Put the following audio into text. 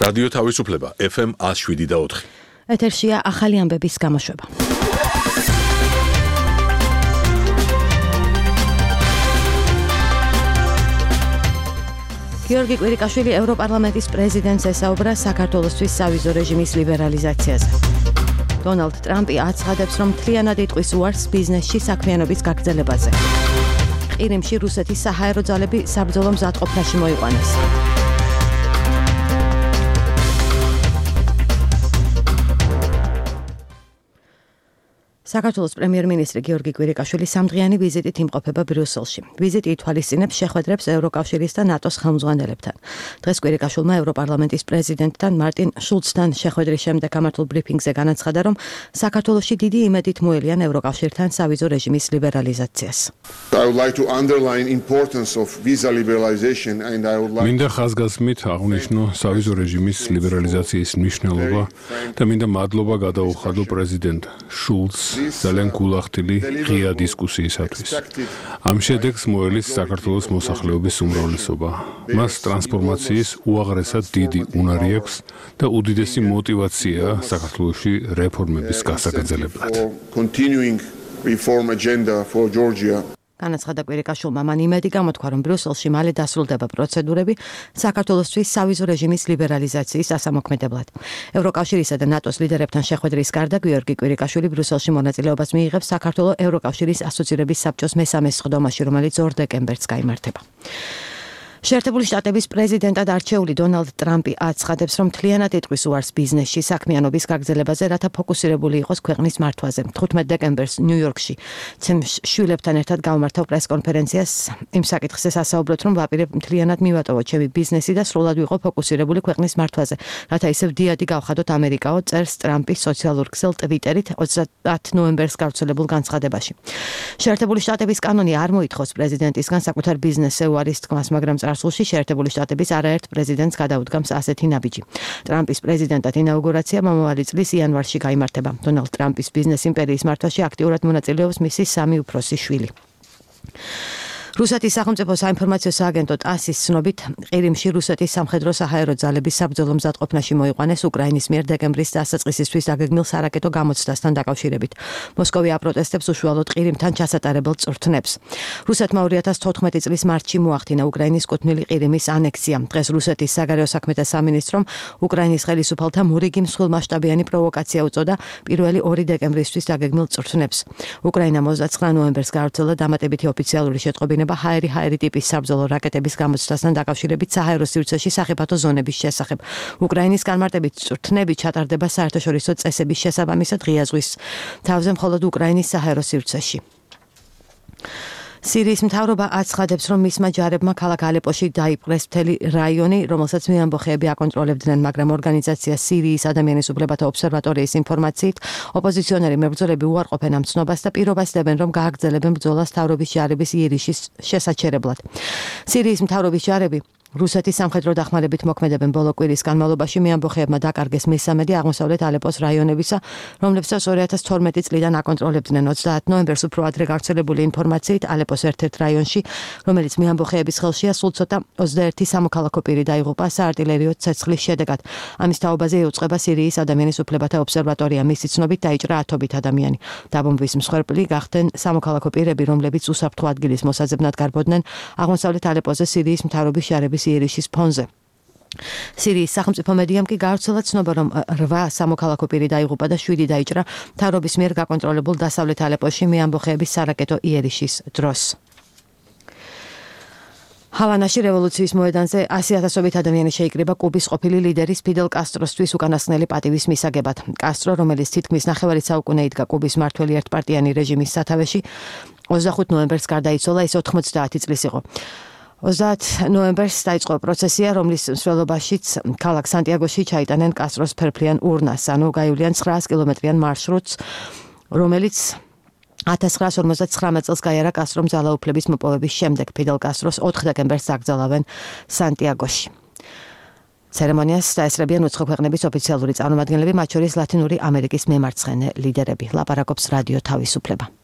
რადიო თავისუფლება FM 107.4. ეთერშია ახალი ამბების გამოშვება. გიორგი კვირიკაშვილი ევროპარლამენტის პრეზიდენტს ესაუბრა საქართველოსთვის სავიზო რეჟიმის ლიბერალიზაციაზე. დონალდ ტრამპი აცხადებს, რომ მთლიანად იტყვის უარს ბიზნესში საქმიანობის გაგრძელებაზე. ყირიმში რუსეთის საჰაერო ძალები საბრძოლო მზადყოფნაში მოიყვანეს. საქართველოს პრემიერ-მინისტრი გიორგი კვირიკაშვილი სამდღიანი ვიზიტით იმყოფება ბრიუსელში. ვიზიტი ითვალისწინებს შეხვედრებს ევროკავშირის და ნატოს ხელმძღვანელებთან. დღეს კვირიკაშვილმა ევროპარლამენტის პრეზიდენტთან მარტინ შულცთან შეხვედრის შემდეგ გამართულ ბრიფინგზე განაცხადა, რომ საქართველოში დიდი იმედით მოელიან ევროკავშირთან სავიზო რეჟიმის ლიბერალიზაციას. მინდა ხაზგასმით აღვნიშნო სავიზო რეჟიმის ლიბერალიზაციის მნიშვნელობა და მინდა მადლობა გადაუხადო პრეზიდენტ შულცს ძალიან გულახდილი ღია დისკუსიისათვის. ამ შედეგს მოელის საქართველოს მოსახლეობის უმრავლესობა. მას ტრანსფორმაციის უაღრესად დიდი უნარი აქვს და უდიდესი мотивация საქართველოში რეფორმების გასაგრძელებლად. განაცხადა კვირიკაშვილმა, მან იმედი გამოთქვა, რომ ბრიუსელში მალე დასრულდება პროცედურები საქართველოსთვის სავიზო რეჟიმის ლიბერალიზაციის დასამოქმედებლად. ევროკავშირისა და ნატოს ლიდერებთან შეხვედრის გარდა გიორგი კვირიკაშვილი ბრიუსელში მონაწილეობას მიიღებს საქართველოს ევროკავშირის ასოცირების საბჭოს მესამე სხდომაში, რომელიც 2 დეკემბერს გაიმართება. შეერთებული შტატების პრეზიდენტად არჩეული დონალდ ტრამპი აცხადებს, რომ მთლიანად იტყვის უარს ბიზნესში საქმიანობის გაგრძელებაზე, რათა ფოკუსირებული იყოს ქვეყნის მართვაზე. 15 დეკემბერს ნიუ-იორკში შვილებთან ერთად გამართავ პრეს-კონფერენციას იმ საკითხზე ასაუბროთ, რომ ვაპირებ მთლიანად მივატოვოთ ჩემი ბიზნესი და სრულად ვიყო ფოკუსირებული ქვეყნის მართვაზე, რათა ისევ დიადი გავხადოთ ამერიკაო, წერს ტრამპი სოციალურ ქსელ ტვიტერით 30 ნოემბერს გავრცელებულ განცხადებაში. შეერთებული შტატების კანონი არ მოითხოვს პრეზიდენტისგან საკუთარ ბიზნესზე უარის თქმას, მაგრამ წარსულში შეერთებული შტატების არაერთ პრეზიდენტს გადაუდგამს ასეთი ნაბიჯი. ტრამპის პრეზიდენტად ინაუგურაცია მომავალი წლის იანვარში გაიმართება. დონალდ ტრამპის ბიზნეს იმპერიის მართვაში აქტიურად მონაწილეობს მისი 3 უფროსი შვილი. რუსეთის სახელმწიფო საინფორმაციო სააგენტო ტასის ცნობით, ყირიმში რუსეთის სამხედრო საჰაერო ძალების საბრძოლო მზადყოფნაში მოიყვანეს უკრაინის მიერ დეკემბრის დასაწყისისთვის დაგეგმილ სარაკეტო გამოცდასთან დაკავშირებით. მოსკოვი აპროტესტებს უშუალოდ ყირიმთან ჩასატარებელ წვრთნებს. რუსეთმა 2014 წლის მარტში მოახდინა უკრაინის კუთვნილი ყირიმის ანექსია. დღეს რუსეთის საგარეო საქმეთა სამინისტრომ უკრაინის ხელისუფალთა მორიგი მსხვილმასშტაბიანი პროვოკაცია უწოდა 1 დეკემბრისთვის დაგეგმილ წვრთნებს. უკრაინა 29 ნოემბერს გაავრცელა დამატებითი ოფიციალური შეტყობინება ჰაერი ტიპის საბრძოლო რაკეტების გამოცდასთან დაკავშირებით საჰაერო სივრცეში სახიფათო ზონების შესახებ. უკრაინის განმარტებით წვრთნები ჩატარდება საერთაშორისო წესების შესაბამისად ღია ზღვის თავზე მხოლოდ უკრაინის საჰაერო სივრცეში. სირიის მთავრობა აცხადებს, რომ მისმა ჯარებმა ქალაქ ალეპოში დაიპყრეს მთელი რაიონი, რომელსაც მეამბოხეები აკონტროლებდნენ, მაგრამ ორგანიზაცია სირიის ადამიანის უფლებათა ობსერვატორიის ინფორმაციით, ოპოზიციონერი მებრძოლები უარყოფენ ამ ცნობას და პირობასდებენ, რომ გააგრძელებენ ბრძოლას მთავრობის ჯარების იერიშის შესაჩერებლად. სირიის მთავრობის ჯარები რუსეთის სამხედრო დახმარებით მოქმედებენ ბოლო კვირის განმავლობაში მეამბოხეებმა დაკარგეს მესამედი აღმოსავლეთ ალეპოს რაიონებისა, რომლებსაც 2012 წლიდან აკონტროლებდნენ. 30 ნოემბერს უფრო ადრე გავრცელებული ინფორმაციით ალეპოს ერთ-ერთ რაიონში, რომელიც მეამბოხეების ხელშია, სულ ცოტა 21 სამოქალაქო პირი დაიღუპა საარტილერიო ცეცხლის შედეგად. ამის თაობაზე იუწყება სირიის ადამიანის უფლებათა ობსერვატორია. მისი ცნობით დაიჭრა 10 ადამიანი. დაბომბვის მსხვერპლი გახდნენ სამოქალაქო პირები, რომლებიც უსაფრთხო ადგილის მოსაძებნად გარბოდნენ აღმოსავლეთ ალეპოზე სირიის მთავრობის ჯარების იერიშის ფონზე. სირიის სახელმწიფო მედიამ კი გაავრცელა ცნობა, რომ 8 სამოქალაქო პირი დაიღუპა და 7 დაიჭრა მთავრობის მიერ გაკონტროლებულ დასავლეთ ალეპოში მეამბოხეების სარაკეტო იერიშის დროს. ჰავანაში რევოლუციის მოედანზე 100,000-ობით ადამიანი შეიკრიბა კუბის ყოფილი ლიდერის ფიდელ კასტროსთვის უკანასკნელი პატივის მისაგებად. კასტრო, რომელიც თითქმის ნახევარი საუკუნე იდგა კუბის მართველი ერთპარტიანი რეჟიმის სათავეში, 25 ნოემბერს გარდაიცვალა, ის 90 წლის იყო. 30 ნოემბერს დაიწყო პროცესია, რომლის მსვლელობაშიც ქალაქ სანტიაგოში ჩაიტანენ კასტროს ფერფლიან ურნას, ანუ გაივლიან 900 კილომეტრიან მარშრუტს, რომელიც 1959 წელს გაიარა კასტრომ ძალაუფლების მოპოვების შემდეგ. ფიდელ კასტროს 4 დეკემბერს დაკრძალავენ სანტიაგოში. ცერემონიას დაესწრებიან უცხო ქვეყნების ოფიციალური წარმომადგენლები, მათ შორის ლათინური ამერიკის მემარცხენე ლიდერები. ლაპარაკობს რადიო თავისუფლება.